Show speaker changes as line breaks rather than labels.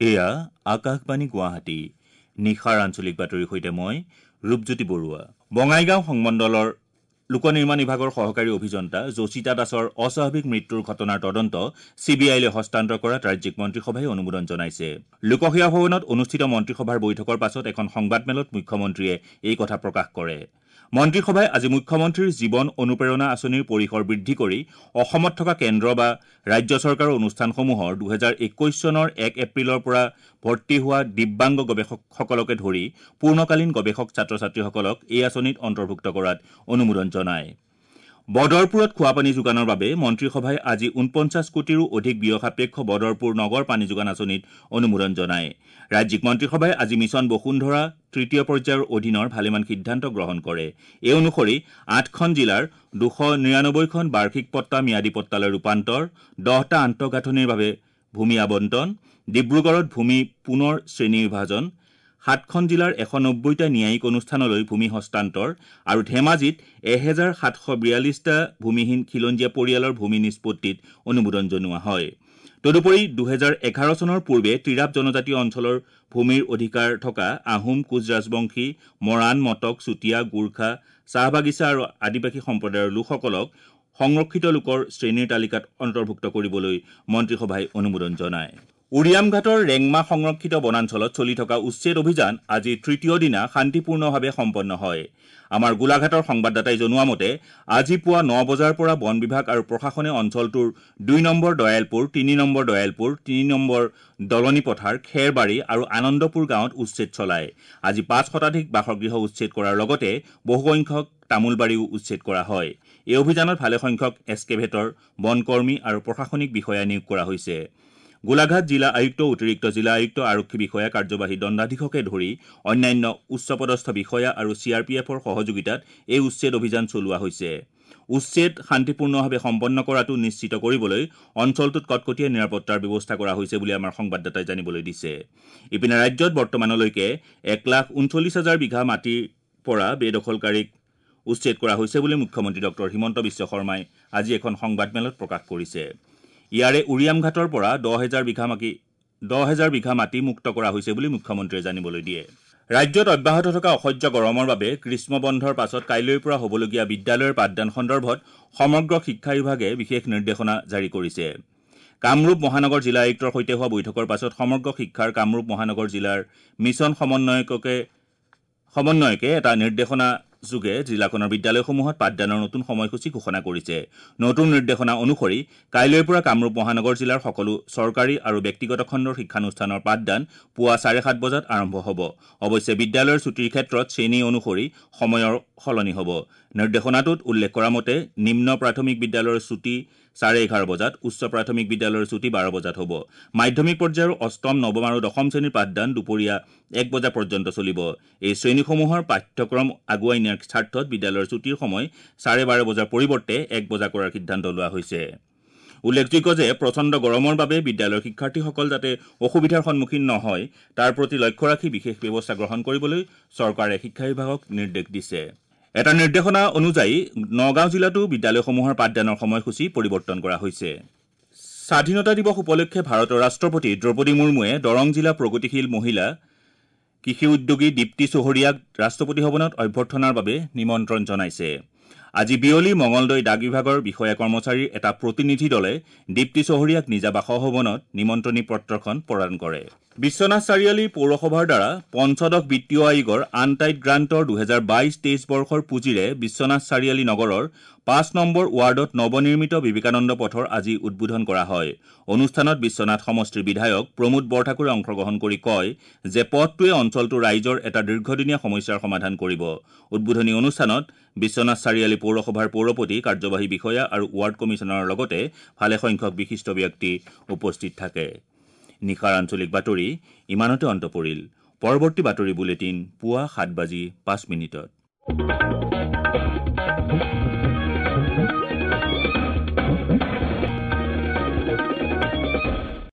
এয়া আকাশবাণী গুৱাহাটী। নিশাৰ আঞ্চলিক বাতৰিৰ সৈতে মই ৰূপজ্যোতি বৰুৱা। বঙাইগাঁও সংমণ্ডলৰ লোক নিৰ্মাণ বিভাগৰ সহকাৰী অভিযন্তা যোশিতা দাসৰ অস্বাভাৱিক মৃত্যুৰ ঘটনাৰ তদন্ত চি বি আইলৈ হস্তান্তৰ কৰাত ৰাজ্যিক মন্ত্ৰীসভাই অনুমোদন জনাইছে। লোকসেৱা ভৱনত অনুষ্ঠিত মন্ত্ৰীসভাৰ বৈঠকৰ পাছত এখন সংবাদমেলত মুখ্যমন্ত্ৰীয়ে এই কথা প্ৰকাশ কৰে। মন্ত্ৰীসভাই আজি মুখ্যমন্ত্ৰীৰ জীৱন অনুপ্ৰেৰণা আঁচনিৰ পৰিসৰ বৃদ্ধি কৰি অসমত থকা কেন্দ্ৰ বা ৰাজ্য চৰকাৰৰ অনুষ্ঠানসমূহৰ 2021 চনৰ 1 এপ্ৰিলৰ পৰা ভৰ্তি হোৱা দিব্যাংগ গৱেষকসকলকে ধৰি পূৰ্ণকালীন গৱেষক ছাত্ৰ-ছাত্ৰীসকলক এই আঁচনিত অন্তৰ্ভুক্ত কৰাত অনুমোদন জনায়। বদৰপুৰত খোৱাপানী যোগানৰ বাবে মন্ত্ৰীসভাই আজি 49 কোটিৰো অধিক ব্যয়সাপেক্ষ বদৰপুৰ নগৰ পানী যোগান আঁচনিত অনুমোদন জনায়। ৰাজ্যিক মন্ত্ৰীসভাই আজি মিছন বসুন্ধৰা তৃতীয় পৰ্যায়ৰ অধীনৰ ভালেমান সিদ্ধান্ত গ্ৰহণ কৰে। এই অনুসৰি 8খন জিলাৰ 299খন বাৰ্ষিক পট্টা ম্যাদী পট্টালৈ ৰূপান্তৰ, 10টা আন্তঃগাঁথনিৰ বাবে ভূমি আবণ্টন, ডিব্ৰুগড়ত ভূমি পুনৰ শ্ৰেণী বিভাজন, 7খন জিলাৰ 190টা ন্যায়িক অনুষ্ঠানলৈ ভূমি হস্তান্তৰ আৰু ধেমাজিত 1742টা ভূমিহীন খিলঞ্জীয়া পৰিয়ালৰ ভূমি নিষ্পত্তিত অনুমোদন জনোৱা হয়। তদুপৰি 2011 চনৰ পূৰ্বে টিৰাপ জনজাতীয় অঞ্চলৰ ভূমিৰ অধিকাৰ থকা আহোম, কোচ ৰাজবংশী, মৰাণ, মটক, চুতীয়া, গোৰ্খা, চাহ বাগিচা আৰু আদিবাসী সম্প্ৰদায়ৰ লোকসকলক সংৰক্ষিত লোকৰ শ্ৰেণীৰ তালিকাত অন্তৰ্ভুক্ত কৰিবলৈ মন্ত্ৰীসভাই অনুমোদন জনায়। উৰিয়ামঘাটৰ ৰেংমা সংৰক্ষিত বনাঞ্চলত চলি থকা উচ্ছেদ অভিযান আজি তৃতীয় দিনা শান্তিপূৰ্ণভাৱে সম্পন্ন হয়। আমাৰ গোলাঘাটৰ সংবাদদাতাই জনোৱা মতে আজি পুৱা 9 বজাৰ পৰা বন বিভাগ আৰু প্ৰশাসনে অঞ্চলটোৰ 2 number Dayalpur, 3 number Dayalpur, 3 number দলনি পথাৰ, খেৰবাৰী আৰু আনন্দপুৰ গাঁৱত উচ্ছেদ চলায়। আজি 5 শতাধিক বাসগৃহ উচ্ছেদ কৰাৰ লগতে বহুসংখ্যক তামোলবাৰীও উচ্ছেদ কৰা হয়। এই অভিযানত ভালেসংখ্যক এস্কেভেটৰ, বনকৰ্মী আৰু প্ৰশাসনিক বিষয়া নিয়োগ কৰা হৈছে। গোলাঘাট জিলা আয়ুক্ত, অতিৰিক্ত জিলা আয়ুক্ত, আৰক্ষী বিষয়া, কাৰ্যবাহী দণ্ডাধীশকে ধৰি অন্যান্য উচ্চপদস্থ বিষয়া আৰু চি আৰ পি এফৰ সহযোগিতাত এই উচ্ছেদ অভিযান চলোৱা হৈছে। উচ্ছেদ শান্তিপূৰ্ণভাৱে সম্পন্ন কৰাটো নিশ্চিত কৰিবলৈ অঞ্চলটোত কটকটীয়া নিৰাপত্তাৰ ব্যৱস্থা কৰা হৈছে বুলি আমাৰ সংবাদদাতাই জানিবলৈ দিছে। ইপিনে ৰাজ্যত বৰ্তমানলৈকে 1,39,000 বিঘা মাটিৰ পৰা বেদখলকাৰীক উচ্ছেদ কৰা হৈছে বুলি মুখ্যমন্ত্ৰী ডক্টৰ হিমন্ত বিশ্ব শৰ্মাই আজি এখন সংবাদমেলত প্ৰকাশ কৰিছে। ইয়াৰে উৰিয়ামঘাটৰ পৰা 10,000 বিঘা মাটি মুক্ত কৰা হৈছে বুলি মুখ্যমন্ত্ৰীয়ে জানিবলৈ দিয়ে। ৰাজ্যত অব্যাহত থকা অসহ্য গৰমৰ বাবে গ্ৰীষ্ম বন্ধৰ পাছত কাইলৈৰ পৰা হ'বলগীয়া বিদ্যালয়ৰ পাঠদান সন্দৰ্ভত সমগ্ৰ শিক্ষা বিভাগে বিশেষ নিৰ্দেশনা জাৰি কৰিছে। কামৰূপ মহানগৰ জিলা আয়ুক্তৰ সৈতে হোৱা বৈঠকৰ পাছত সমগ্ৰ শিক্ষাৰ কামৰূপ মহানগৰ জিলাৰ মিছন সমন্বয়কে এটা নিৰ্দেশনা যোগে জিলাখনৰ বিদ্যালয়সমূহত পাঠদানৰ নতুন সময়সূচী ঘোষণা কৰিছে। নতুন নিৰ্দেশনা অনুসৰি কাইলৈৰ পৰা কামৰূপ মহানগৰ জিলাৰ সকলো চৰকাৰী আৰু ব্যক্তিগত খণ্ডৰ শিক্ষানুষ্ঠানৰ পাঠদান পুৱা 7:30 বজাত আৰম্ভ হ'ব। অৱশ্যে বিদ্যালয়ৰ ছুটীৰ ক্ষেত্ৰত শ্ৰেণী অনুসৰি সময়ৰ সলনি হ'ব। নিৰ্দেশনাটোত উল্লেখ কৰা মতে নিম্ন প্ৰাথমিক বিদ্যালয়ৰ ছুটী 11:30 বজাত, উচ্চ প্ৰাথমিক বিদ্যালয়ৰ ছুটী 12 বজাত হ'ব। মাধ্যমিক পৰ্যায়ৰ অষ্টম, নৱম আৰু দশম শ্ৰেণীৰ পাঠদান দুপৰীয়া 1 বজা পৰ্যন্ত চলিব। এই শ্ৰেণীসমূহৰ পাঠ্যক্ৰম আগুৱাই নিয়াৰ স্বাৰ্থত বিদ্যালয়ৰ ছুটীৰ সময় 12:30 বজাৰ পৰিৱৰ্তে 1 বজা কৰাৰ সিদ্ধান্ত লোৱা হৈছে। উল্লেখযোগ্য যে প্ৰচণ্ড গৰমৰ বাবে বিদ্যালয়ৰ শিক্ষাৰ্থীসকল যাতে অসুবিধাৰ সন্মুখীন নহয় তাৰ প্ৰতি লক্ষ্য ৰাখি বিশেষ ব্যৱস্থা গ্ৰহণ কৰিবলৈ চৰকাৰে শিক্ষা বিভাগক নিৰ্দেশ দিছে। এটা নিৰ্দেশনা অনুযায়ী নগাঁও জিলাতো বিদ্যালয়সমূহৰ পাঠদানৰ সময়সূচী পৰিৱৰ্তন কৰা হৈছে। স্বাধীনতা দিৱস উপলক্ষে ভাৰতৰ ৰাষ্ট্ৰপতি দ্ৰৌপদী মুৰ্মুৱে দৰং জিলা প্ৰগতিশীল মহিলা কৃষি উদ্যোগী দীপ্তি চহৰীয়াক ৰাষ্ট্ৰপতি ভৱনত অভ্যৰ্থনাৰ বাবে নিমন্ত্ৰণ জনাইছে। আজি বিয়লি মঙলদৈ ডাক বিভাগৰ বিষয়া কৰ্মচাৰীৰ এটা প্ৰতিনিধি দলে দীপ্তি চহৰীয়াক নিজা বাসভৱনত নিমন্ত্ৰণী পত্ৰখন প্ৰদান কৰে। বিশ্বনাথ চাৰিআলি পৌৰসভাৰ দ্বাৰা পঞ্চদশ বিত্তীয় আয়োগৰ আনটাইড গ্ৰাণ্টৰ 2022-23 বৰ্ষৰ পুঁজিৰে বিশ্বনাথ চাৰিআলি নগৰৰ 5 নম্বৰ ৱাৰ্ডত নৱনিৰ্মিত বিবেকানন্দ পথৰ আজি উদ্বোধন কৰা হয়। অনুষ্ঠানত বিশ্বনাথ সমষ্টিৰ বিধায়ক প্ৰমোদ বৰঠাকুৰে অংশগ্ৰহণ কৰি কয় যে পথটোৱে অঞ্চলটোৰ ৰাইজৰ এটা দীৰ্ঘদিনীয়া সমস্যাৰ সমাধান কৰিব। উদ্বোধনী অনুষ্ঠানত বিশ্বনাথ চাৰিআলি পৌৰসভাৰ পৌৰপতি, কাৰ্যবাহী বিষয়া আৰু ৱাৰ্ড কমিছনাৰৰ লগতে ভালেসংখ্যক বিশিষ্ট ব্যক্তি উপস্থিত থাকে। নিশাৰ আঞ্চলিক বাতৰি ইমানতে অন্ত পৰিল। পৰৱৰ্তী বাতৰি বুলেটিন পুৱা 7:05।